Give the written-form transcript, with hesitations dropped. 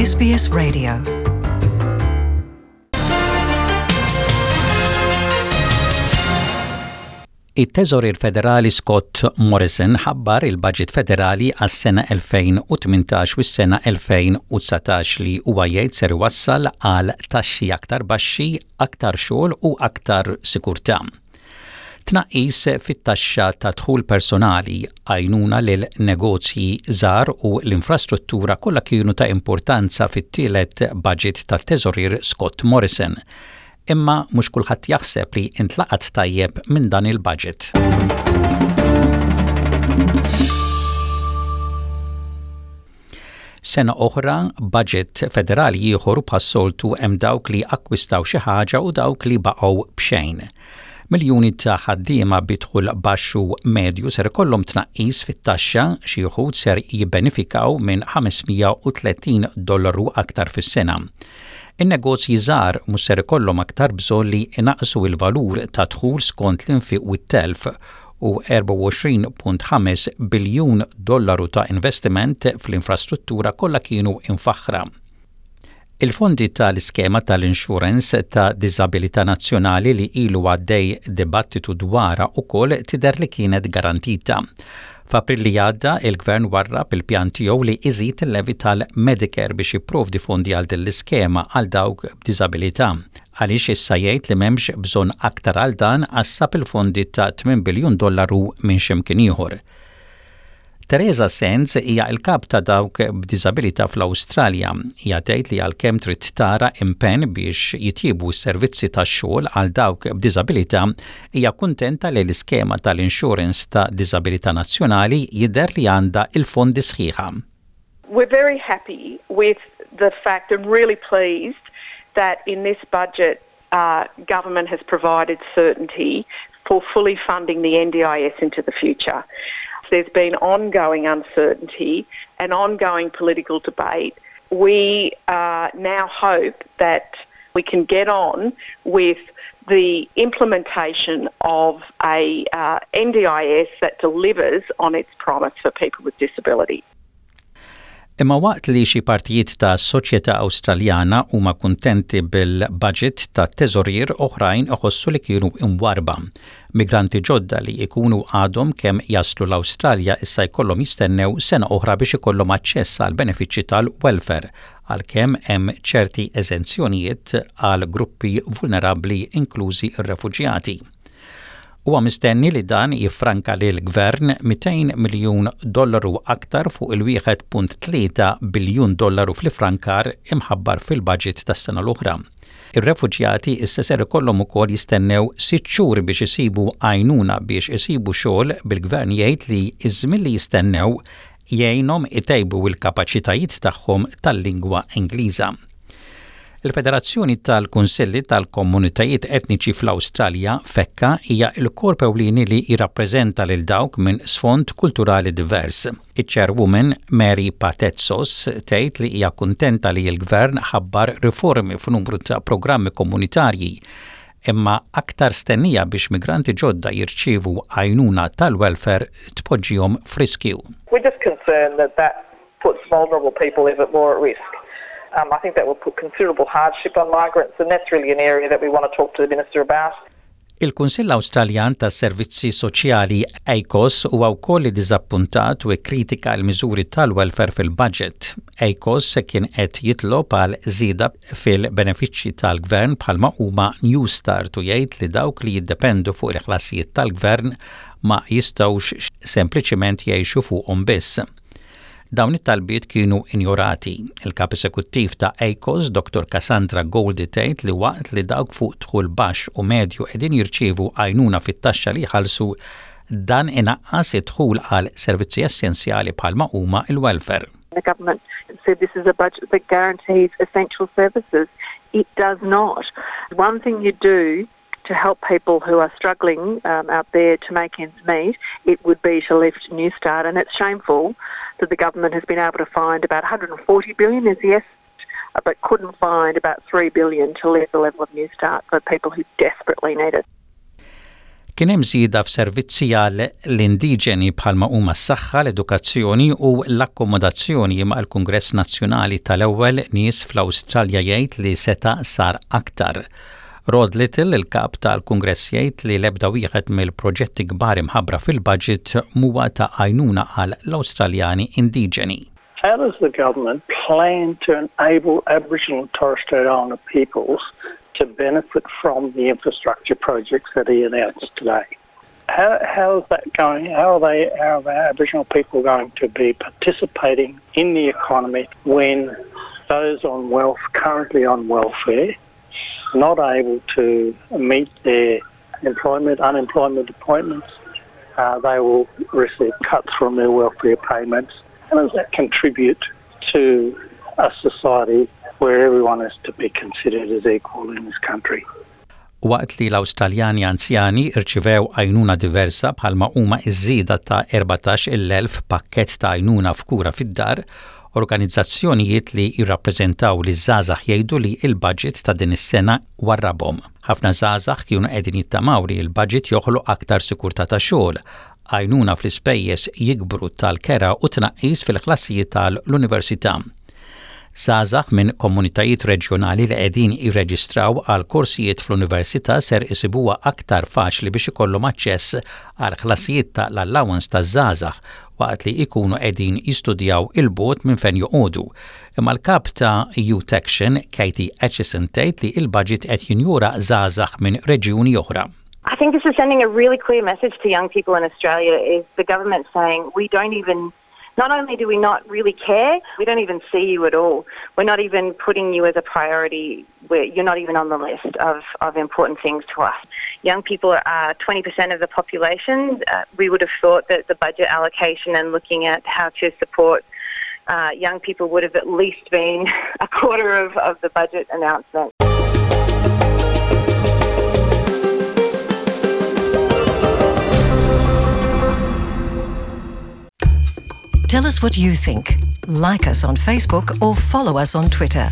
SBS Radio. It-Teżorier Federali Scott Morrison ħabbar il-Baġit Federali għas-sena 2018 u s-sena 2019 li huwa jgħid ser iwassal għal taxxi aktar baxxi, aktar xogħol u aktar sikurtà. Tnaqqis fit-taxxa ta' dħul personali, għajnuna lil negozji żgħar u l-infrastruttura kollha kienu ta' importanza fit-tielet baġit tat-Teżorier Scott Morrison. Imma mhux kulħadd jaħseb li ntlaqat tajjeb minn dan il-baġit. Sena oħra, budget federali ieħor u bħas-soltu hemm dawk li akkwistaw xi ħaġa u dawk li baqgħu b'xejn. Miljuni ta' ħaddiema bi dħul baxx u medju ser ikollhom tnaqqis fit-taxxa, xi wħud ser jibbenefikaw minn 530 dollaru aktar fis-sena. In-negozji żgħar mhux ser ikollhom aktar bżonn li jnaqqsu l-valur tad-dħul skont l-infiq u t-telf u 24.5 biljun dollaru ta' investiment fl-infrastruttura kollha kienu imfaħħra. Il-fondi tal-iskema tal-insurance ta' diżabilità nazzjonali li ilu għaddej dibattitu dwarha ukoll tidher li kienet garantita. F'April li għadda, il-Gvern warrab il-pjan tiegħu li iżid il-levy tal-Medicare biex jipprovdi fondi għal din l-iskema għal dawk b'diżabilità. Għaliex issa jgħid li m'hemmx bżonn aktar għal dan għax sab il-fondi ta' 8 biljun dollaru minn xi mkien ieħor. Theresa Sands hija l-kap ta' dawk b'diżabilità fl-Awstralja. Hija tgħid li għalkemm trid tara impenn biex jitjiebu s-servizzi tax-xogħol għal dawk b'diżabilità, hija kuntenta li l-iskema tal-insurance ta' diżabilità nazzjonali jidher li għandha l-fondi sħiħa. We're very happy with the fact and really pleased that in this budget uh, government has provided certainty for fully funding the NDIS into the future. There's been ongoing uncertainty and ongoing political debate. We uh, now hope that we can get on with the implementation of a uh, NDIS that delivers on its promise for people with disability. Imma waqt li xi partijiet ta' soċjetà Awstraljana huma kuntenti bil-budget tat-teżorier oħrajn iħossu li kienu imwarrba. Migranti ġodda li jkunu għadhom kemm jaslu l-Awstralja issa jkollhom jistennew sena oħra biex ikollhom aċċess għal benefiċċji tal-welfare għalkemm hemm ċerti eżenzjonijiet għal gruppi vulnerabbli inklużi r-refuġjati. Huwa mistenni li dan jiffranka lill-Gvern 200 miljun dollaru aktar fuq il-1.3 biljun dollaru fl-iffrankar imħabbar fil-baġit tas-sena l-oħra. Ir-refuġjati issa ser ikollhom ukoll jistennew sitt xhur biex isibu għajnuna biex isibu xogħol bil-Gvern jgħid li ż-żmien li jistennew jgħinhom itejbu l-kapaċitajiet tagħhom tal-lingwa Ingliża. Il-Federazzjoni tal-Kunsilli tal-Komunitajiet Etniċi fl-Awstralja, FECCA, hija l-korp ewlieni li jirrappreżenta lil dawk minn sfond kulturali divers. Iċ-Chairwoman Mary Patetsos tgħid li hija kuntenta li l-Gvern ħabbar riformi f'numru ta' programmi komunitarji imma aktar stennija biex migranti ġodda jirċievu għajnuna tal-welfare tpoġġihom f'riskju. We're just concerned that that puts vulnerable people even more at risk. Um, I think that will put considerable hardship on migrants and that's really an area that we want to talk to the Minister about. Il-Kunsill Awstraljan tas-Servizzi Soċjali, ACOSS, huwa wkoll iddiżappuntat u kkritika l-miżuri tal-welfare fil-budget. ACOSS kien qed jitlob għal żieda fil-benefiċċji tal-gvern bħalma huma Newstart u jgħid li dawk li jiddependu fuq il-ħlasijiet tal-gvern ma jistgħux sempliċiment jgħixu fuqhom biss. Dawn it-talbiet kienu injorati. Il-Kap Esekuttiv ta' ACOS, Dottor Cassandra Goldie tgħid li waqt li dawk fuq dħul baxx u medju qegħdin jirċievu għajnuna fit-taxxa li jħallsu, dan inaqqas id-dħul għal servizzi essenzjali bħalma huma l-welfare. The government said this is a budget that guarantees essential services. It does not. One thing you do to help people who are struggling um, out there to make ends meet, it would be to lift New Start. And it's shameful that the government has been able to find about 140 billion is the estimate, but couldn't find about 3 billion to lift the level of New Start for people who desperately need it. Kien hemm żieda f'servizzi għal l-indiġeni bħalma huma s-saħħa, l-edukazzjoni u l-akkomodazzjoni imma l-Kungress Nazzjonali tal-Ewwel Nies fl-Awstralja jgħid li seta' sar aktar. Rod Little, il-kap tal-Kungress jgħid li l-ebda wieħed mill-proġetti kbar imħabbra fil-budget m'huwa ta' għajnuna għal l-Awstraljani indiġeni. How does the government plan to enable Aboriginal and Torres Strait Islander peoples to benefit from the infrastructure projects that he announced today? How, how is that going? How are they, how are Aboriginal people going to be participating in the economy when those on wealth, currently on welfare, not able to meet their employment, unemployment appointments, uh, they will receive cuts from their welfare payments. How does that contribute to a society where everyone is to be considered as equal in this country? Waqt li l-Awstraljani anzjani rċivew għajnuna diversa bħalma huma iż-żieda ta' 14,000 pakkett ta' għajnuna f'kura fid-dar, organizzazzjonijiet li jirrappreżentaw liż-żgħażagħ jgħidu li l-budget ta' din is-sena warrabhom. Ħafna żgħażagħ kienu qegħdin jittamaw li l-budget joħloq aktar sikurtà ta' xogħol, għajnuna fl-ispejjeż jikbru tal-kera u tnaqqis fil-ħlasijiet tal-università. Żgħażagħ minn komunitajiet reġjonali li qegħdin jirreġistraw għal korsijiet fl-università ser isibuha aktar faċli biex ikollhom aċċess għal ħlasijiet ta' l-allowance taż-żgħażagħ waqt li jkunu qegħdin jistudjaw 'il bogħod minn fejn joqogħdu. Imma l-kap ta' Youth Action, Katie Acheson tgħid li l-budget qed jinjora żgħażagħ minn reġjuni oħra. I think this is sending a really clear message to young people in Australia is the government saying we don't even not only do we not really care, we don't even see you at all. We're not even putting you as a priority. We're, you're not even on the list of, of important things to us. Young people are 20% of the population. Uh, we would have thought that the budget allocation and looking at how to support uh, young people would have at least been a quarter of, of the budget announcement. Tell us what you think. Like us on Facebook or follow us on Twitter.